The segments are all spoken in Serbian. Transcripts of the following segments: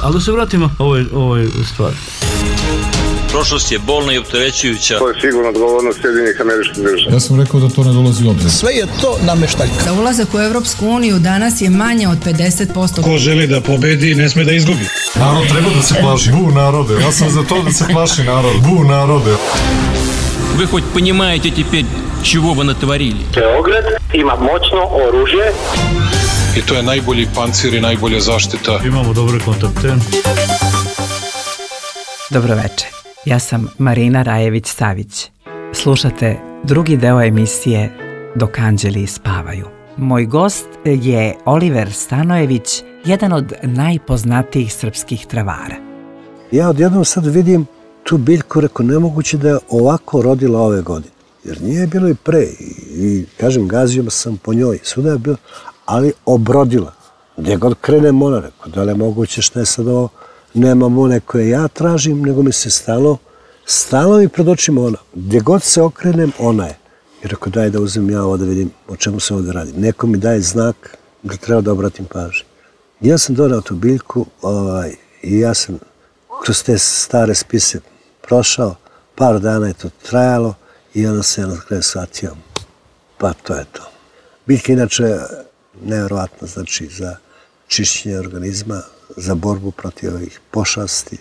Ali da se vratimo ovoj stvari. Prošlost je bolna i opterećujuća. To je sigurno odgovornost Sjedinjenih Američkih Država. Ja sam rekao da to ne dolazi u obzir. Sve je to nameštaljka. Za ulazak u Evropsku uniju danas je manje od 50%. Ko želi da pobedi, ne sme da izgubi. Narod treba da se plaši. Bu narode. Ja sam za to da se plaši narod. Bu narode. Вы хоть понимаете теперь, чего вы натворили? Beograd ima moćno oružje. I to je najbolji pancir i najbolja zaštita. Imamo dobre kontakte. Dobroveče, ja sam Marina Rajević-Savić. Slušate drugi deo emisije Dok anđeli spavaju. Moj gost je Oliver Stanojević, jedan od najpoznatijih srpskih travara. Ja odjednom sad vidim tu biljku, reko, nemoguće da je ovako rodila ove godine. Jer nije bilo i pre. I kažem, gazio sam po njoj. Svuda je bilo, ali obrodila. Gdje god krenem ona, reko, da li je moguće, šta je sad ovo? Nemam one koje ja tražim, nego mi se stalo mi pred očima ona. Gdje god se okrenem, ona je. I reko, daj da uzmem ja ovo da vidim o čemu se ovdje radi. Neko mi daje znak da treba da obratim pažnju. Ja sam donao tu biljku i ja sam kroz te stare spise prošao, par dana je to trajalo i onda se na kraju shvatio, pa to je to. Biljka inače nevjerovatna, znači za čišćenje organizma, za borbu protiv ovih pošasti,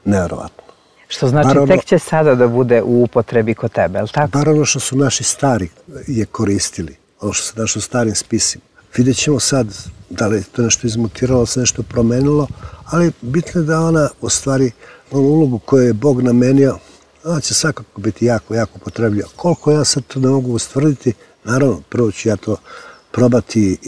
nevjerovatno. Što znači tek će sada da bude u upotrebi kod tebe, je li tako? Bar ono što su naši stari je koristili, ono što se našo u starim spisima. Vidjet ćemo sad da li je to nešto izmutiralo, se nešto promenilo, ali bitno je da ona u stvari onu ulogu koju je Bog namenio, ona će svakako biti jako, jako potrebljiva. Koliko ja sad to ne mogu ustvrditi, naravno, prvo ću ja to probati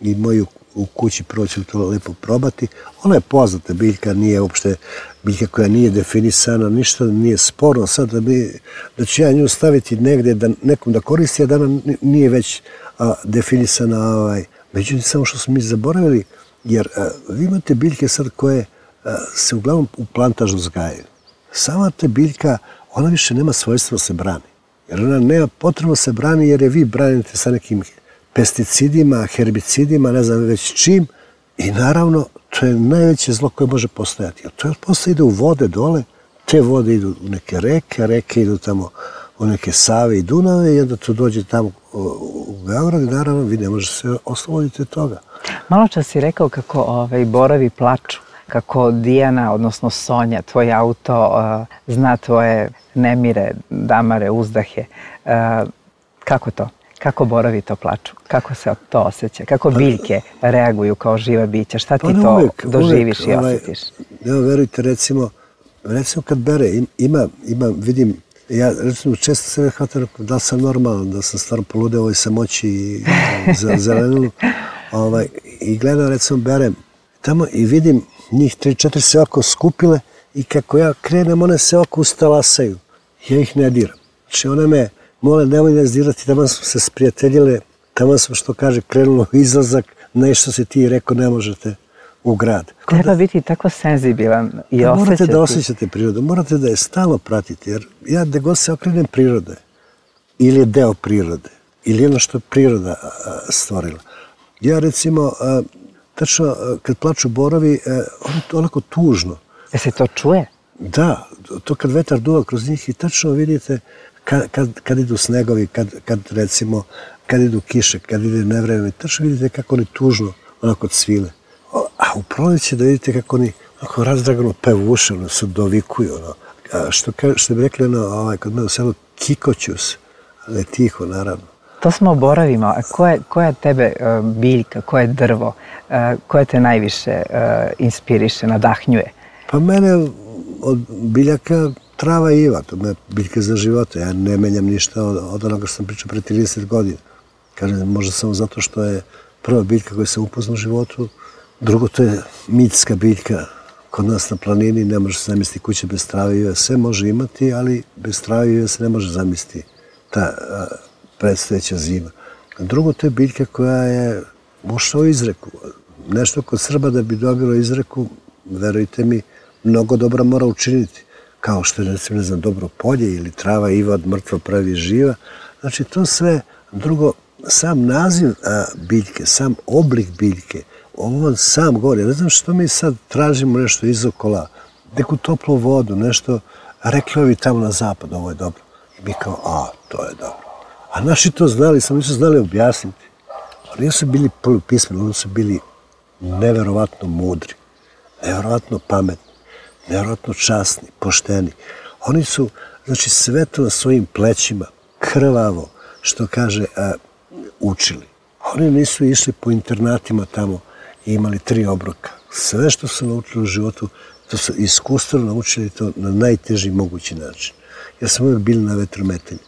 i moju u kući prvo ću to lepo probati. Ona je poznata biljka, nije uopšte biljka koja nije definisana, ništa nije sporno. Sad da ću ja nju staviti negdje da nekom da koristi, a da ona nije već definisana. Međutim, samo što smo mi zaboravili, jer vi imate biljke sad koje se uglavnom u plantažu uzgajaju. Sama ta biljka, ona više nema svojstva da se brani. Jer ona nema potrebno se brani jer je vi branite sa nekim pesticidima, herbicidima, ne znam već čim. I naravno, to je najveće zlo koje može postojati. Jer to posle ide u vode dole, te vode idu u neke reke, reke idu tamo u neke Save i Dunave i onda to dođe tamo u Beograd i naravno vi ne možete se osloboditi od toga. Malo čas si rekao kako borovi plaču, kako Dijana, odnosno Sonja, tvoj auto zna tvoje nemire, damare, uzdahe. Kako to? Kako borovi to plaču? Kako se to osjeća? Kako biljke reaguju kao živa bića? Šta ti to doživiš i osjetiš? Evo, verujte, recimo kad bere, vidim, ja recimo često se hvatam da li sam normalan, da sam stvarno poludeo ovoj samoći i zelenulu. I gledam, recimo, berem tamo i vidim njih 3-4 se ovako skupile i kako ja krenem, one se ovako ustalasaju. Ja ih ne diram. Znači, one me mole, nemoj nas dirati, tamo smo se sprijateljile, tamo smo, što kaže, krenulo u izlazak, nešto se ti rekao, ne možete u grad. Treba biti tako senzibilan i osjećati. Morate da osjećate prirodu, morate da je stalno pratiti, jer ja gde god se okrenem prirode, ili je deo prirode, ili ono što je priroda stvorila. Ja recimo, tačno kad plaču borovi, onako tužno. Je se to čuje? Da, to kad vetar duva kroz njih i tačno vidite kad idu snegovi, kad idu kiše, kad ide nevreme, tačno vidite kako oni tužno onako cvile. A u proleće da vidite kako oni onako razdragano pevuše, ono se dovikuju, ono. Što bi rekli kod mene u selu, kikoću se, ali tiho, naravno. To smo o borovima. Koja tebe biljka, koje drvo, koje te najviše inspiriše, nadahnjuje? Pa mene od biljaka trava i iva, to je biljka za života. Ja ne menjam ništa od onoga što sam pričao pre 30 godina. Kažem, možda samo zato što je prva biljka koju sam upoznao u životu. Drugo, to je mitska biljka. Kod nas na planini ne može se zamisliti kuće bez trave i ive. Sve može imati, ali bez trave i ive se ne može zamisliti ta predstojeća zima. Drugo, to je biljka koja je ušla u izreku. Nešto kod Srba da bi dobilo izreku, verujte mi, mnogo dobra mora učiniti. Kao što je, recimo, ne znam, dobro polje ili trava iva od mrtva pravi živa. Znači, to sve. Drugo, sam naziv biljke, sam oblik biljke, ovo sam govori, ne znam što mi sad tražimo nešto izokola, neku toplu vodu, nešto, rekli ovi tamo na zapad, ovo je dobro. I mi kao, to je dobro. A naši to znali, samo nisu znali objasniti. Oni su bili polupismeni, oni su bili neverovatno mudri, neverovatno pametni, neverovatno časni, pošteni. Oni su, znači, sve to na svojim plećima, krvavo, što kaže, učili. Oni nisu išli po internatima tamo i imali 3 obroka. Sve što su naučili u životu, to su iskustveno naučili to na najteži mogući način. Ja sam uvijek bili na vetrometanju.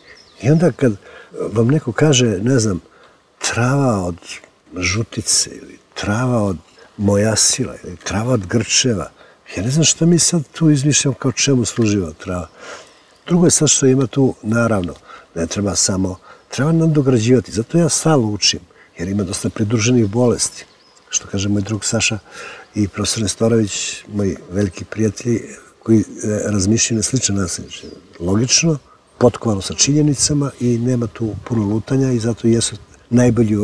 I onda kad vam neko kaže, ne znam, trava od žutice ili trava od mojasila ili trava od grčeva, ja ne znam što mi sad tu izmišljam kao čemu služiva trava. Drugo je sad što ima tu, naravno, ne treba samo, treba nadograđivati. Zato ja stalno učim, jer ima dosta pridruženih bolesti. Što kaže moj drug Saša i profesor Nestorović, moji veliki prijatelji, koji razmišljaju na sličan način. Logično, potkovano sa činjenicama i nema tu puno lutanja i zato jesu najbolji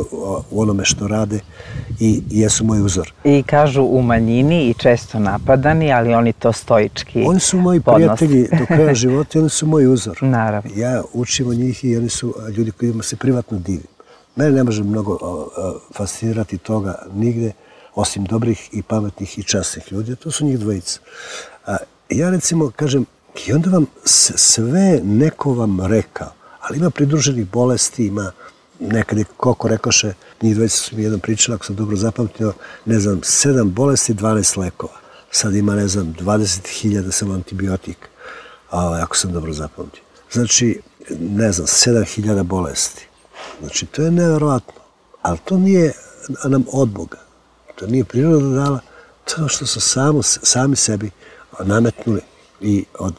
u onome što rade i jesu moj uzor. I kažu u manjini i često napadani, ali oni to stoički podnose. Oni su moji prijatelji do kraja života i oni su moj uzor. Naravno. Ja učim od njih i oni su ljudi kojima se privatno divim. Mene ne može mnogo fascinirati toga nigde, osim dobrih i pametnih i časnih ljudi. To su njih dvojica. Ja recimo kažem, i onda vam sve neko vam rekao, ali ima pridruženih bolesti, ima nekad je koliko rekoše, njih dvojica su mi jednom pričali, ako sam dobro zapamtio, ne znam, 7 bolesti, 12 lekova. Sad ima, ne znam, 20.000 samo antibiotik, ako sam dobro zapamtio. Znači, ne znam, 7.000 bolesti. Znači, to je neverovatno. Ali to nije nam od Boga. To nije priroda dala. To što su sami sebi nametnuli i od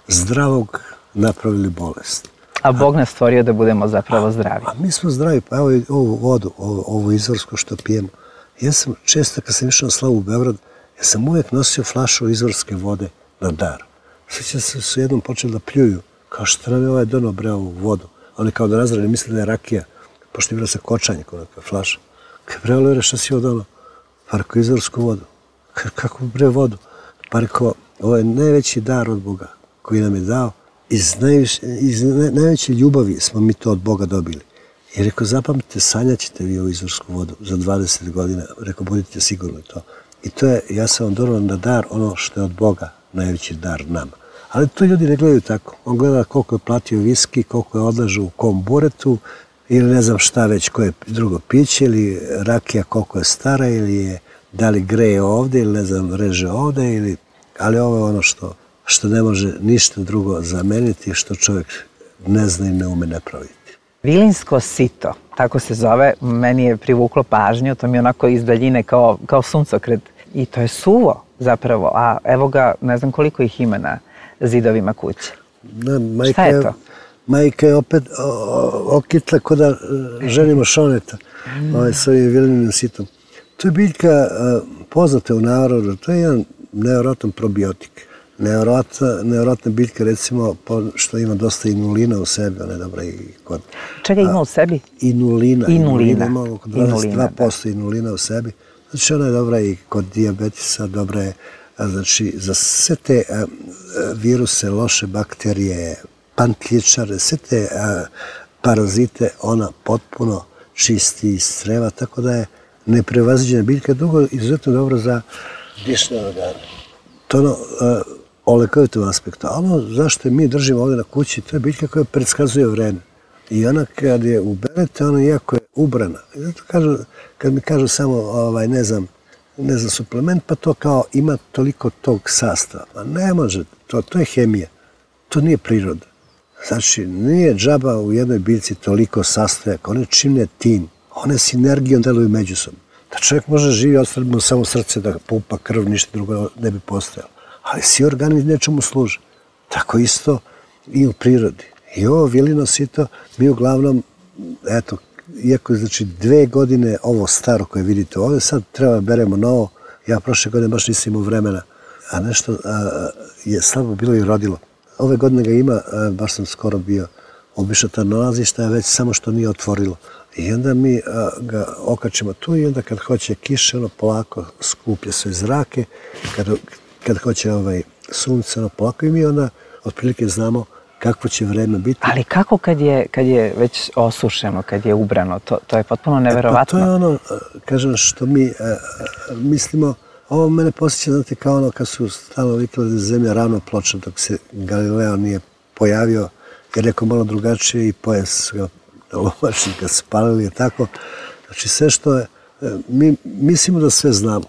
zdravog napravili bolest. A Bog nas stvorio da budemo zapravo zdravi. A mi smo zdravi. Pa evo ovu vodu, ovu izvorsku što pijemo. Ja sam često kad sam išao na slavu u Beograd, ja sam uvijek nosio flašu izvorske vode na dar. Sjećam se su jednom počeli da pljuju, kao što nam je ovaj donao bre ovu vodu. Oni kao da razrani misle da je rakija, pošto je bila sa kočanje kod neka flaša. Kaj bre, Olivera, šta si ovo donao? Pa rekao, izvorsku vodu. Kako bre vodu? Pa rekao, ovo je najveći dar od Boga koji nam je dao. Iz najveće ljubavi smo mi to od Boga dobili. I rekao, zapamtite, sanjaćete vi ovu izvorsku vodu za 20 godina. Rekao, budite sigurni to. I to je, ja sam vam donao na dar ono što je od Boga najveći dar nama. Ali to ljudi ne gledaju tako. On gleda koliko je platio viski, koliko je odlažu u kom buretu, ili ne znam šta već, koje drugo piće, ili rakija koliko je stara, ili je da li greje ovde, ili ne znam, reže ovde, ili... Ali ovo je ono što ne može ništa drugo zameniti, što čovjek ne zna i ne ume napraviti. Vilinsko sito, tako se zove, meni je privuklo pažnju, to mi je onako iz daljine kao suncokret. I to je suvo zapravo, a evo ga, ne znam koliko ih ima na zidovima kuće. Šta je to? Majka je opet okitla ko da ženimo šoneta s ovim vilinim sitom. To je biljka poznata u narodu, to je jedan nevjerojatan probiotik. Nevjerojatna biljka, recimo, što ima dosta inulina u sebi, ona je dobra i kod... Čega ima u sebi? Inulina. Ima oko 22% inulina u sebi. Znači, ona je dobra i kod dijabetisa, dobra je, znači, za sve te viruse, loše bakterije, pantljičare, sve te parazite, ona potpuno čisti iz creva, tako da je neprevaziđena biljka, drugo izuzetno dobro za dišne organe. To ono, o lekovitom aspektu. A ono zašto mi držimo ovdje na kući, to je biljka koja predskazuje vreme. I ona kad je uberete, ona iako je ubrana. I zato kažu, kad mi kažu samo, ne znam, suplement, pa to kao ima toliko tog sastava. Ma ne može, to je hemija. To nije priroda. Znači, nije džaba u jednoj biljci toliko sastojaka. One čine tim. One sinergijom deluju međusobno. Da čovjek može živi, ostali mu samo srce da pumpa krv, ništa drugo ne bi postojalo. Ali svi organi nečemu služe. Tako isto i u prirodi. I ovo vilino sito, mi uglavnom, eto, iako je znači 2 godine ovo staro koje vidite ovdje, sad treba beremo novo. Ja prošle godine baš nisam imao vremena, a nešto je slabo bilo i rodilo. Ove godine ga ima, baš sam skoro bio obišao ta nalazišta, već samo što nije otvorilo. I onda mi ga okačimo tu i onda kad hoće kiša, ono polako skuplja se zrake, kad hoće sunce, ono polako i mi onda otprilike znamo kakvo će vreme biti. Ali kako kad je već osušeno, kad je ubrano, to je potpuno neverovatno. Pa to je ono, kažem, što mi mislimo, ovo mene posjeća, znate, kao ono kad su stalno vikali da je zemlja ravno ploča dok se Galileo nije pojavio, jer neko malo drugačije i pojas su ga lovačnika spalili, je tako. Znači sve što je, mi mislimo da sve znamo.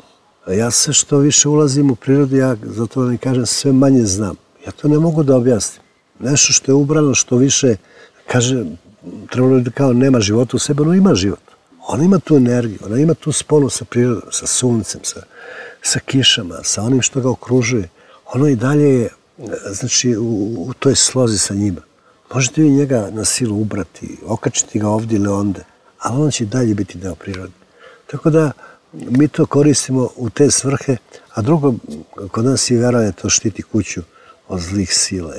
Ja sve što više ulazim u prirodu, ja zato vam i kažem, sve manje znam. Ja to ne mogu da objasnim. Nešto što je ubrano, što više, kaže, trebalo da kao nema života u sebi, ono ima život. Ona ima tu energiju, ona ima tu sponu sa prirodom, sa suncem, sa kišama, sa onim što ga okružuje. Ono i dalje je, znači, u toj slozi sa njima. Možete vi njega na silu ubrati, okačiti ga ovdje ili onde, ali on će dalje biti deo prirode. Tako da mi to koristimo u te svrhe, a drugo, kod nas i verovanje to štiti kuću od zlih sila.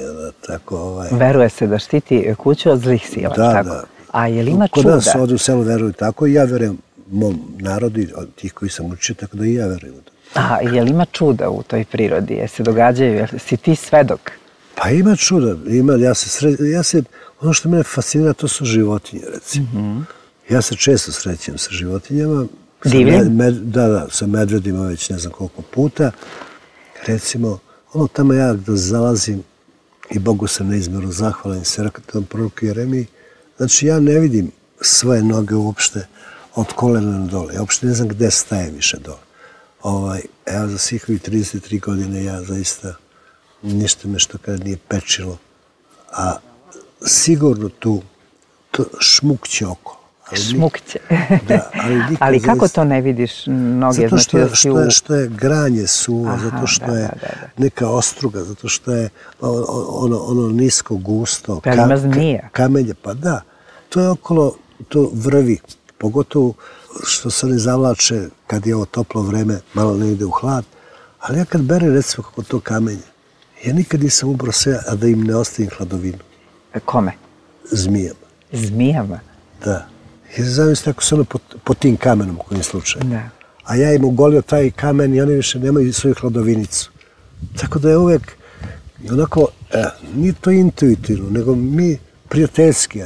Tako, Veruje se da štiti kuću od zlih sila, tako? Da. A je li ima čuda? Kod nas ovdje u selu veruju tako i ja verujem mom narodu, od tih koji sam učio, tako da i ja verujem u to. A je li ima čuda u toj prirodi? Je se događaju? Si ti svedok? Pa ima čuda. Ono što mene fascinira, to su životinje, recimo. Ja se često srećem sa životinjama. Divljim? Da, sa medvedima već ne znam koliko puta. Recimo, ono tamo ja da zalazim i Bogu sam neizmjerno zahvalan se rakatom proroku Jeremiji. Znači, ja ne vidim svoje noge uopšte od kolena na dole. Ja uopšte ne znam gde staje više dole. Evo, za svih ovih 33 godine ja zaista ništa me što kada nije pečilo. A sigurno tu šmukće oko. Šmukće. Da, ali kako to ne vidiš noge? Zato što je granje suvo, zato što je neka ostruga, zato što je ono nisko, gusto, kamenje, pa da. To je okolo, to vrvi, pogotovo što se ne zavlače kad je ovo toplo vreme, malo ne ide u hlad, ali ja kad berem recimo kako to kamenje, ja nikad nisam ubrao sve, a da im ne ostavim hladovinu. Kome? Zmijama. Zmijama? Da. Jer zamislite ako su ono pod tim kamenom u kojim slučaju. Da. A ja im ugolio taj kamen i oni više nemaju svoju hladovinicu. Tako da je uvek onako, nije to intuitivno, nego mi prijateljski.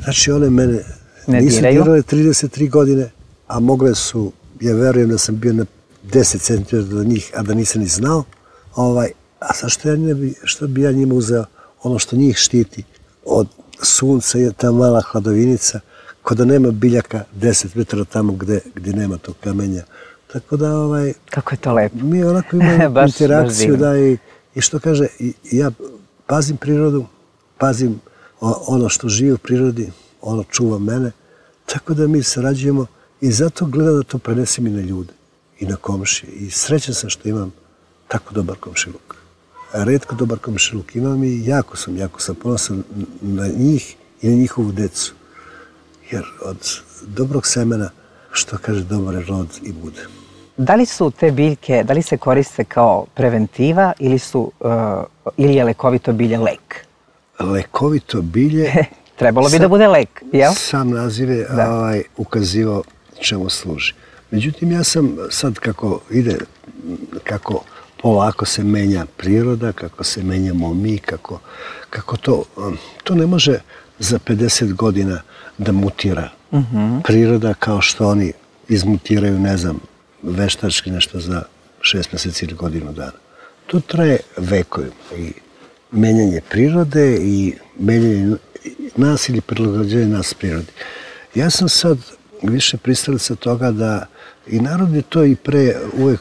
Znači one mene nisu dirale 33 godine, a mogle su, ja verujem da sam bio na 10 cm do njih, a da nisam ni znao. A što bi ja njima uzeo ono što njih štiti od sunca je ta mala hladovinica, ko da nema biljaka 10 metara tamo gdje nema tog kamenja. Tako da, kako je to lepo. Mi onako imamo interakciju, da, i što kaže, ja pazim prirodu, pazim ono što živi u prirodi, ono čuva mene, tako da mi sarađujemo i zato gledam da to prenesem i na ljude, i na komšije. I srećan sam što imam tako dobar komšiluk. Retko dobar komšiluk imam i jako sam ponosan na njih i na njihovu decu. Jer od dobrog semena, što kaže, dobar rod i bude. Da li su te biljke, da li se koriste kao preventiva ili je lekovito bilje lek? Lekovito bilje... Trebalo bi da bude lek, jel? Sam naziv je ukazivao čemu služi. Međutim, ja sam sad kako polako se menja priroda, kako se menjamo mi, kako to ne može za 50 godina da mutira priroda kao što oni izmutiraju, ne znam, veštački nešto za 6 mjeseci ili godinu dana. To traje vekovima i menjanje prirode i menjanje nas ili prilagođenje nas prirodi. Ja sam sad više pristalica toga da i narod je to i pre uvek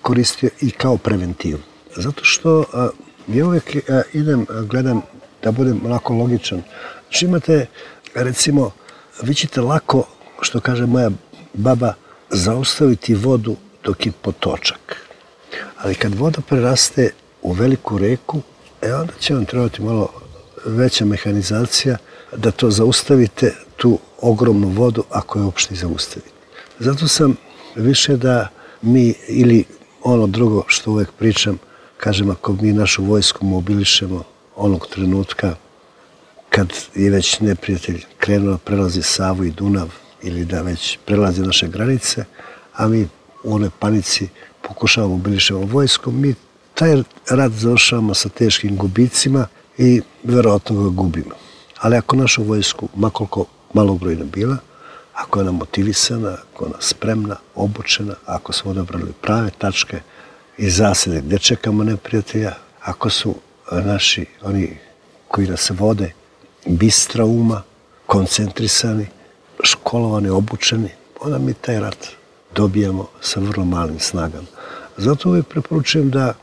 koristio i kao preventivu. Zato što ja uvek gledam da budem onako logičan. Znači imate, recimo, vi ćete lako, što kaže moja baba, zaustaviti vodu dok je potočak. Ali kad voda preraste u veliku reku, onda će vam trebati malo veća mehanizacija da to zaustavite, tu ogromnu vodu, ako je uopšte zaustavite. Zato sam više da mi, ili ono drugo što uvek pričam, kažem, ako mi našu vojsku mobilišemo onog trenutka kad je već neprijatelj krenuo prelazi Savu i Dunav ili da već prelazi naše granice, a mi u onoj panici pokušavamo mobilišemo vojskom, mi taj rat završavamo sa teškim gubicima i verovatno ga gubimo. Ali ako našu vojsku, makoliko malobrojna bila, ako je ona motivisana, ako je ona spremna, obučena, ako smo odabrali prave tačke i zasede gde čekamo neprijatelja, ako su naši, oni koji nas vode, bistra uma, koncentrisani, školovani, obučeni, onda mi taj rat dobijamo sa vrlo malim snagama. Zato uvijek preporučujem da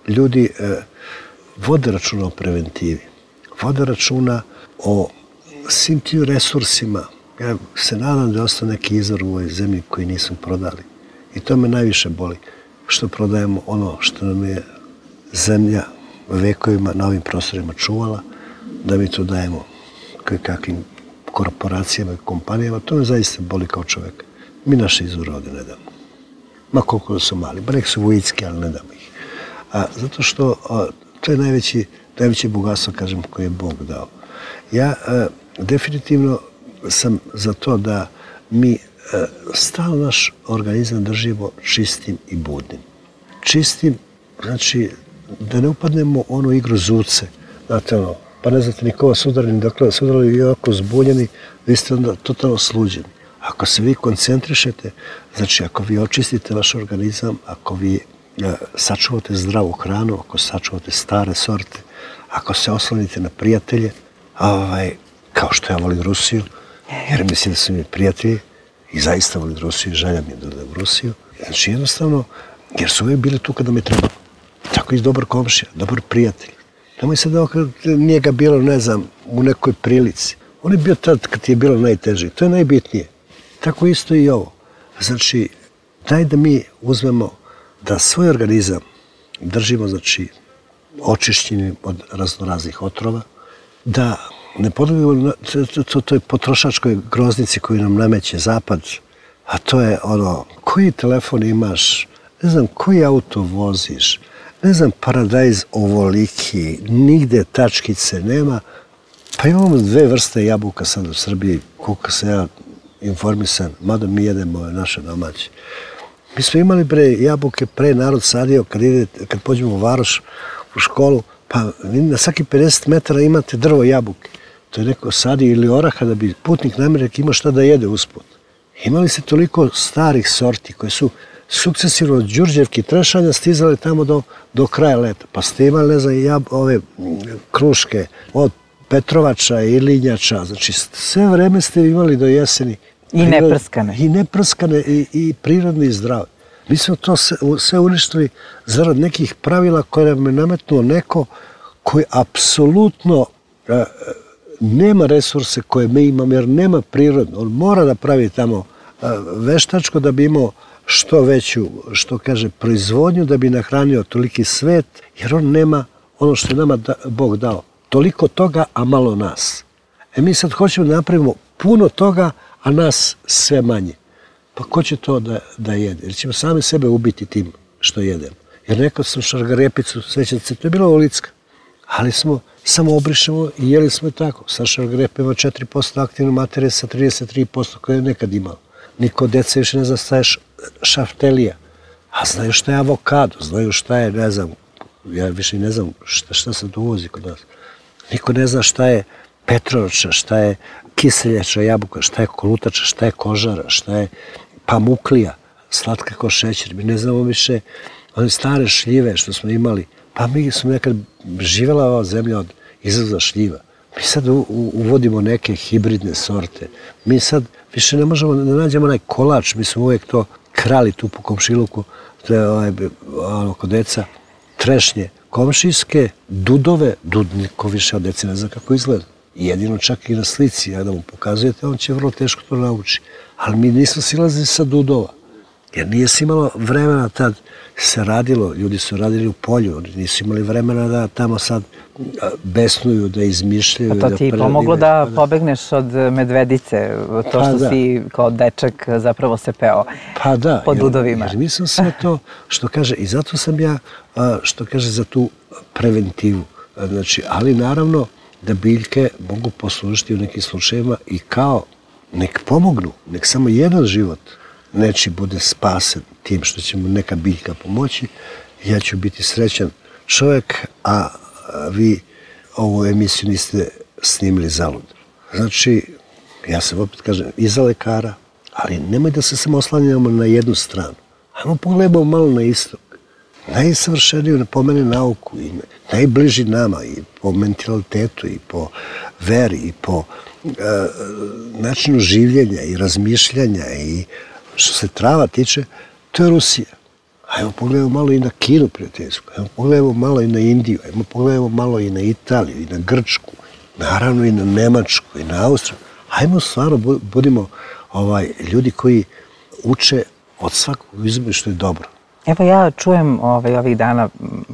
ljudi vode računa o preventivi, vode računa o svim tim resursima. Ja se nadam da je ostao neki izvor u ovoj zemlji koji nismo prodali. I to me najviše boli, što prodajemo ono što nam je zemlja vekovima na ovim prostorima čuvala, da mi to dajemo kakvim korporacijama i kompanijama. To me zaista boli kao čovjek. Mi naše izvore ovdje ne damo. Ma koliko da su mali, ba nek su vojitski, ali ne damo ih. Zato što to je najveće bogatstvo, kažem, koje je Bog dao. Ja definitivno sam za to da mi stalno naš organizam držimo čistim i budnim. Čistim, znači da ne upadnemo u onu igru zuce, znate ono, pa ne znate nikoga sudarili, dakle da sudarili i ovako zbunjeni, vi ste onda totalno sluđeni. Ako se vi koncentrišete, znači ako vi očistite vaš organizam, ako vi sačuvate zdravu hranu, ako sačuvate stare sorte, ako se oslonite na prijatelje, kao što ja volim Rusiju, jer mislim da su mi prijatelji i zaista volim Rusiju i želja mi je da odem u Rusiju. Znači jednostavno, jer su uvijek bili tu kada mi trebalo. Tako i dobar komšija, dobar prijatelj. Nemoj se da njega bilo, ne znam, u nekoj prilici. On je bio tad kad je bilo najteže. To je najbitnije. Tako isto i ovo. Znači, daj da mi uzmemo da svoj organizam držimo, znači, očišćenim od raznoraznih otrova, da ne podobimo toj potrošačkoj groznici koju nam nameće Zapad, a to je ono, koji telefon imaš, ne znam, koji auto voziš, ne znam, paradajz ovoliki, nigde tačkice nema. Pa imamo 2 vrste jabuka sad u Srbiji, koliko sam ja informisan, mada mi jedemo naše domaće. Mi smo imali jabuke, pre narod sadio, kad pođemo u Varoš, u školu, pa na svaki 50 metara imate drvo jabuke. To je neko sadio ili oraha da bi putnik namirnik imao šta da jede usput. Imali se toliko starih sorti koje su sukcesivno od Đurđevke i Trešanja stizale tamo do kraja leta. Pa ste imali, ne znam, ove kruške od Petrovača i Linjača. Znači, sve vreme ste imali do jeseni. I neprskane. I neprskane i prirodne i zdrave. Mi smo to sve uništili zarad nekih pravila koje nam je nametnuo neko koji apsolutno nema resurse koje mi imamo, jer nema prirodno. On mora da pravi tamo veštačko da bi imao što veću, što kaže, proizvodnju, da bi nahranio toliki svet, jer on nema ono što je nama Bog dao. Toliko toga, a malo nas. Mi sad hoćemo da napravimo puno toga, a nas sve manje. Pa ko će to da jede? Jer ćemo sami sebe ubiti tim što jedemo. Jer nekad sam šargarepicu, svećate se, to je bila olicka. Ali smo samo obrišemo i jeli smo i tako. Sa šargarepa ima 4% aktivne materije sa 33% koje je nekad imao. Niko od deca više ne zna šta je šaftelija. A znaju šta je avokado, znaju šta je, ne znam, ja više ne znam šta se uvozi kod nas. Niko ne zna šta je petrovača, šta je kiseljača jabuka, šta je kolutača, šta je kožara, šta je pamuklija, slatka kao šećer. Mi ne znamo više one stare šljive što smo imali. Pa mi smo nekad živjela ova zemlja od izvoza šljiva. Mi sad uvodimo neke hibridne sorte. Mi sad više ne možemo da nađemo onaj kolač. Mi smo uvijek to krali tu po komšiluku, kod deca, trešnje komšijske, dudove, niko više od dece ne zna kako izgleda. Jedino čak i na slici, da mu pokazujete, on će vrlo teško to nauči. Ali mi nismo silazili sa dudova, jer nije se imalo vremena tad se radilo, ljudi su radili u polju, oni nisu imali vremena da tamo sad besnuju, da izmišljaju. A to ti je pomoglo da pobegneš od medvedice, to što si kao dečak zapravo se peo po dudovima. Jer mislim sve to što kaže, i zato sam ja, što kaže, za tu preventivu. Znači, ali naravno, da biljke mogu poslužiti u nekim slučajevima i kao nek pomognu, nek samo jedan život nečiji bude spasen tim što će mu neka biljka pomoći, ja ću biti srećan čovjek, a vi ovu emisiju niste snimili zalud. Znači, ja sam opet kažem, iza lekara, ali nemoj da se samo oslanjamo na jednu stranu. Ajmo pogledamo malo na istok. Najsavršeniju po mene nauku i najbliži nama i po mentalitetu i po veri i po načinu življenja i razmišljanja i što se trava tiče, to je Rusija. Ajmo pogledamo malo i na Kinu prijateljsku, ajmo pogledamo malo i na Indiju, ajmo pogledamo malo i na Italiju i na Grčku, naravno i na Nemačku i na Austriju. Ajmo stvarno budimo ljudi koji uče od svakog izbora što je dobro. Evo ja čujem ovih dana,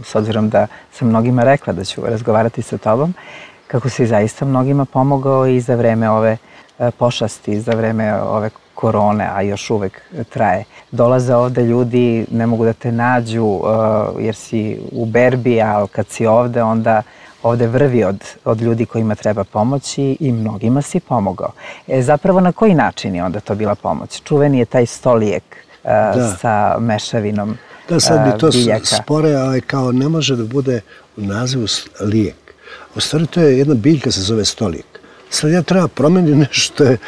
s obzirom da sam mnogima rekla da ću razgovarati sa tobom, kako si zaista mnogima pomogao i za vreme ove pošasti, za vreme ove korone, a još uvek traje. Dolaze ovde ljudi, ne mogu da te nađu jer si u berbi, a kad si ovde, onda ovde vrvi od ljudi kojima treba pomoći i mnogima si pomogao. Zapravo na koji način je onda to bila pomoć? Čuveni je taj stolijek sa mešavinom biljaka. Da, sad bi to spore, ali kao ne može da bude u nazivu lijek. U stvari to je jedna biljka se zove stolijek. Sad ja treba promeniti nešto što je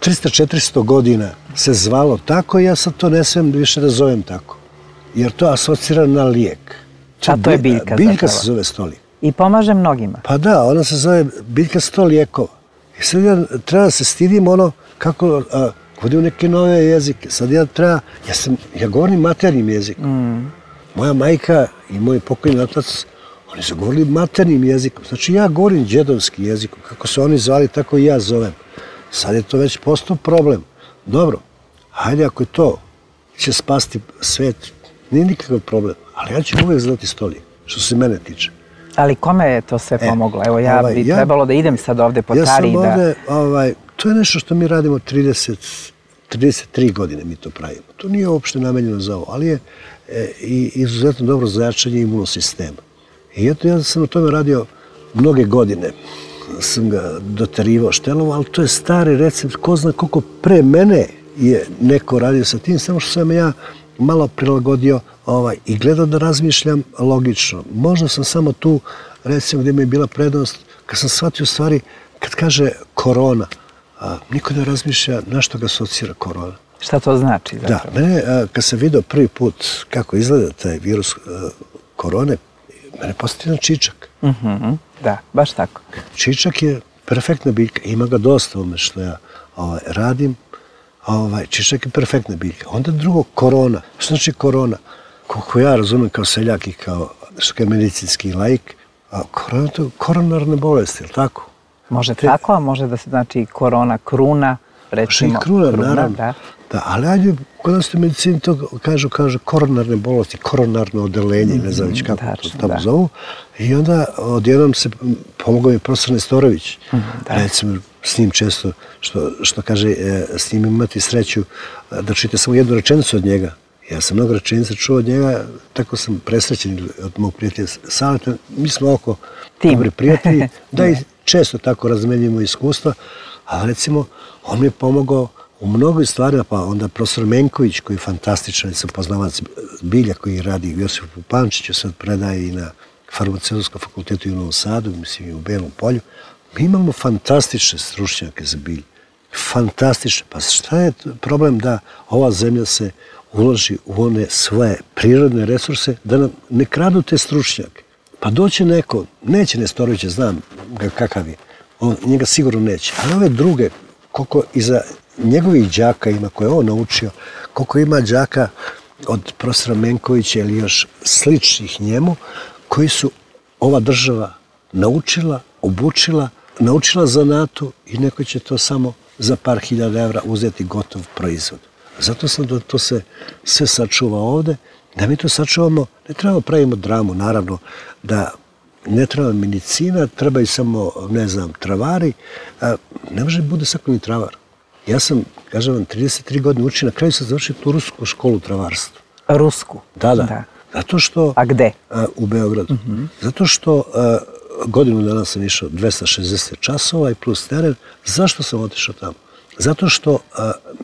300-400 godina se zvalo tako i ja sad to ne smijem više da zovem tako. Jer to asocira na lijek. A to je biljka Biljka se zove stolijek. I pomaže mnogima. Pa da, ona se zove biljka 100 lijekova. I sad ja treba da se stidim ono kako govorim neke nove jezike. Sad ja govorim maternjim jezikom. Moja majka i moj pokojni otac, oni su govorili maternjim jezikom. Znači ja govorim đedovski jezikom. Kako se oni zvali, tako i ja zovem. Sad je to već postao problem. Dobro, hajde ako je to će spasti svet, nije nikakav problem. Ali ja ću uvek znati stolijek, što se mene tiče. Ali kome je to sve pomoglo? Evo ja bi trebalo da idem sad ovde po Tari. Ja sam ovde, to je nešto što mi radimo 33 godine mi to pravimo. To nije uopšte namenjeno za ovo, ali je i izuzetno dobro za jačanje imunosistema. I eto, ja sam na tome radio mnoge godine. Sam ga doterivao, štelovo, ali to je stari recept. Ko zna koliko pre mene je neko radio sa tim, samo što sam ja malo prilagodio i gledao da razmišljam logično. Možda sam samo tu, recimo, gdje mi je bila prednost, kad sam shvatio stvari, kad kaže korona, niko ne razmišlja na što ga asocira korona. Šta to znači zapravo? Da, mene, kad sam vidio prvi put kako izgleda taj virus korone, mene postoji jedan čičak. Da, baš tako. Čičak je perfektna biljka, ima ga dosta ome što ja radim. Čičak je perfektna biljka. Onda drugo, korona. Što znači korona? Koliko ja razumem kao seljak i kao medicinski laik, korona to je koronarne bolesti, je li tako? Može tako, a može da se znači korona, kruna, recimo. Može i kruna, naravno. Da, ali ajde, kod nas u medicini to kažu koronarne bolesti, koronarno odelenje, ne znam već kako to tamo zovu. I onda odjednom se pomogao mi profesor Nestorović. Recimo, s njim često, što kaže, s njim imati sreću da čujete samo jednu rečenicu od njega. Ja sam mnogo rečenica čuo od njega, tako sam presrećen od mog prijatelja Saleta. Mi smo oko dobri prijatelji, da i često tako razmenjujemo iskustva, ali recimo, on mi je pomogao u mnogoj stvarima, pa onda profesor Menković, koji je fantastičan, sam poznavac bilja koji radi u Josipu Pančiću, sad predaje i na Farmaceutskom fakultetu u Novom Sadu, mislim i u Belom Polju. Mi imamo fantastične stručnjake za bilje. Fantastične. Pa šta je problem da ova zemlja se uloži u one svoje prirodne resurse, da nam ne kradu te stručnjake? Pa doće neko, neće Nestorovića, znam ga kakav je, njega sigurno neće, ali ove druge, koliko iza njegovih đaka ima koje je on naučio, koliko ima đaka od profesora Menkovića ili još sličnih njemu, koji su ova država naučila, obučila, naučila zanatu i neko će to samo za par hiljada evra uzeti gotov proizvod. Zato sam da to se sve sačuva ovde, da mi to sačuvamo, ne trebamo pravimo dramu, naravno, da ne treba medicina, treba i samo, ne znam, travari, ne može bude svako ni travar. Ja sam, kažem vam, 33 godine učio, na kraju sam završio tu rusku školu travarstva. Rusku? Da. Zato što... A gde? U Beogradu. Zato što godinu dana sam išao 260 časova i plus teren. Zašto sam otišao tamo? Zato što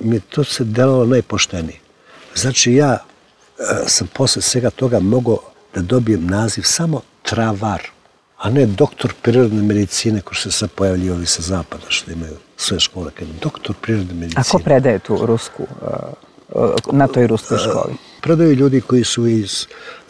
mi to se delalo najpoštenije. Znači ja sam posle svega toga mogao da dobijem naziv samo travar, a ne doktor prirodne medicine koji se sad pojavljaju ovi sa zapada što imaju sve škole. Doktor prirodne medicine. A ko predaje tu rusku, na toj ruskoj školi? Predaju ljudi koji su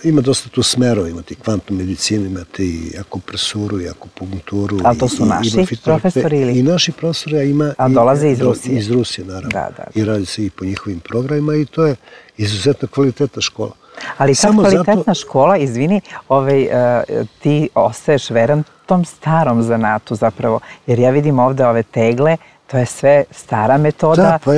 ima dosta tu smerova, imate i kvantnu medicinu, imate i akupresuru, i akupunkturu. Ali to su naši profesori ili? I naši profesori, a ima... A dolaze iz Rusije? Iz Rusije, naravno. Da. I radi se i po njihovim programima i to je izuzetno kvalitetna škola. Ali kad kvalitetna škola, izvini, ti ostaješ veran tom starom zanatu zapravo, jer ja vidim ovde ove tegle, to je sve stara metoda. Da, pa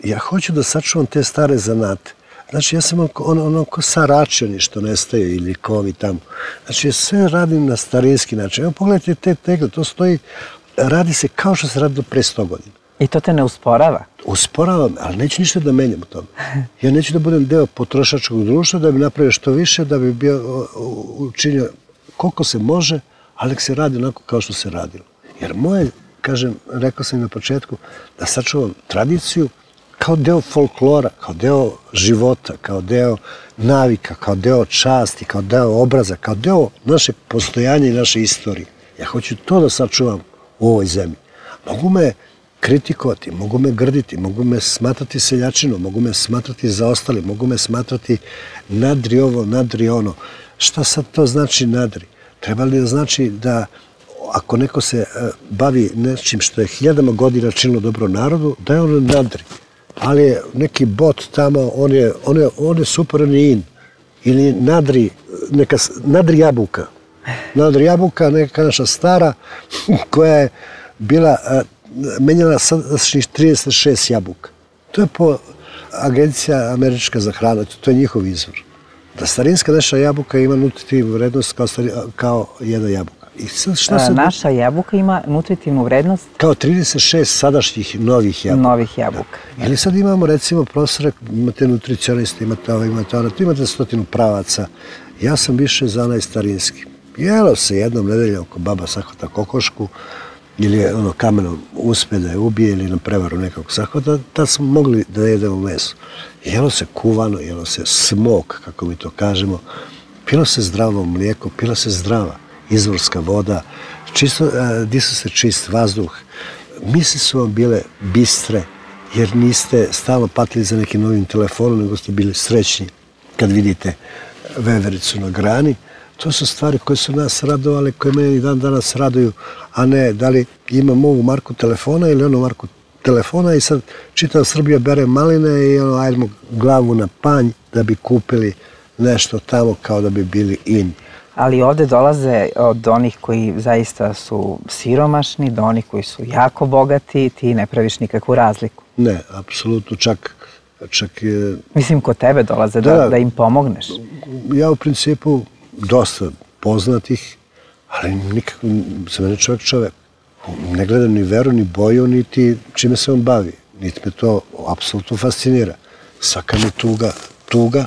ja hoću da sačuvam te stare zanate. Znači, ja sam ono ko Saračani što nestaje ili ko ovi tamo. Znači, ja sve radim na starinski način. Evo, pogledajte te tegle, to stoji, radi se kao što se radilo pre 100 godina. I to te ne usporava? Usporava me, ali neću ništa da menjam u tome. Ja neću da budem deo potrošačkog društva, da bi napravio što više, da bi bio učinio koliko se može, ali se radi onako kao što se radilo. Jer moje, kažem, rekao sam i na početku, da sačuvam tradiciju kao deo folklora, kao deo života, kao deo navika, kao deo časti, kao deo obraza, kao deo naše postojanja i naše istorije. Ja hoću to da sačuvam u ovoj zemlji. Mogu me kritikovati, mogu me grditi, mogu me smatrati seljačinom, mogu me smatrati zaostali, mogu me smatrati nadri ovo, nadri ono. Šta sad to znači nadri? Treba li da znači da ako neko se bavi nečim što je hiljadama godina činilo dobro narodu, da je ono nadri. Ali je neki bot tamo, on je super, on je in. Ili nadri jabuka. Nadri jabuka, neka naša stara, koja je bila menjala sadašnjih 36 jabuka. To je po Agencija američka za hranu, to je njihov izvor. Da starinska naša jabuka ima nutritivnu vrednost kao jedna jabuka. I sad naša jabuka ima nutritivnu vrednost? Kao 36 sadašnjih novih jabuka. Novih jabuka. Ili sad imamo recimo profesore, imate nutricioniste, imate ovo, imate ono, tu imate 100 pravaca. Ja sam više za onaj starinski. Jelo se jednom nedeljom ko baba sahvata kokošku, ili kamenom uspe da je ubije ili na prevaru nekog sahvata, da smo mogli da jedemo meso. Jelo se kuvano, jelo se smok, kako mi to kažemo, pilo se zdravo mlijeko, pila se zdrava izvorska voda, disao se čist vazduh. Misli su vam bile bistre, jer niste stalno patili za nekim novim telefonom, nego ste bili srećni kad vidite vevericu na grani. To su stvari koje su nas radovale, koje mene i dan danas raduju, a ne da li imam ovu marku telefona ili onu marku telefona i sad čitava Srbija bere maline i ajdemo glavu na panj da bi kupili nešto tamo kao da bi bili in. Ali ovde dolaze od onih koji zaista su siromašni, do onih koji su jako bogati, ti ne praviš nikakvu razliku. Ne, apsolutno, čak... Mislim, kod tebe dolaze da im pomogneš. Ja u principu dosta poznatih, ali nikako za mene čovjek. Ne gledam ni veru, ni boju, niti čime se on bavi. Niti me to apsolutno fascinira. Svaka mi tuga,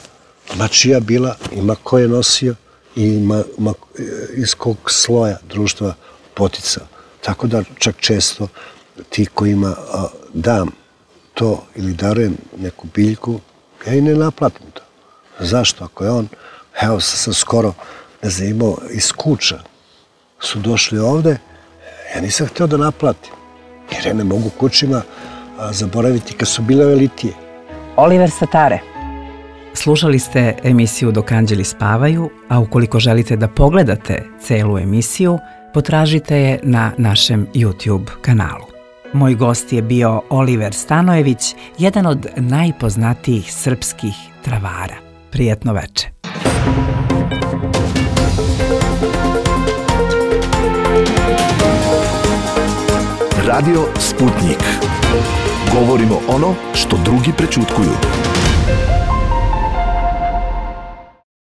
ma čija bila, ima ko je nosio i ima iz kog sloja društva potica. Tako da čak često ti kojima dam to ili darujem neku biljku, ja i ne naplatim to. Zašto? Ako je on, evo sam skoro, ne znam, imao iz Kuča, su došli ovde, ja nisam hteo da naplatim, jer ja ne mogu kućima zaboraviti kad su bile ove litije. Oliver Satare. Slušali ste emisiju Dok anđeli spavaju, a ukoliko želite da pogledate celu emisiju, potražite je na našem YouTube kanalu. Moj gost je bio Oliver Stanojević, jedan od najpoznatijih srpskih travara. Prijetno veče. Radio Sputnik. Govorimo ono što drugi prećutkuju.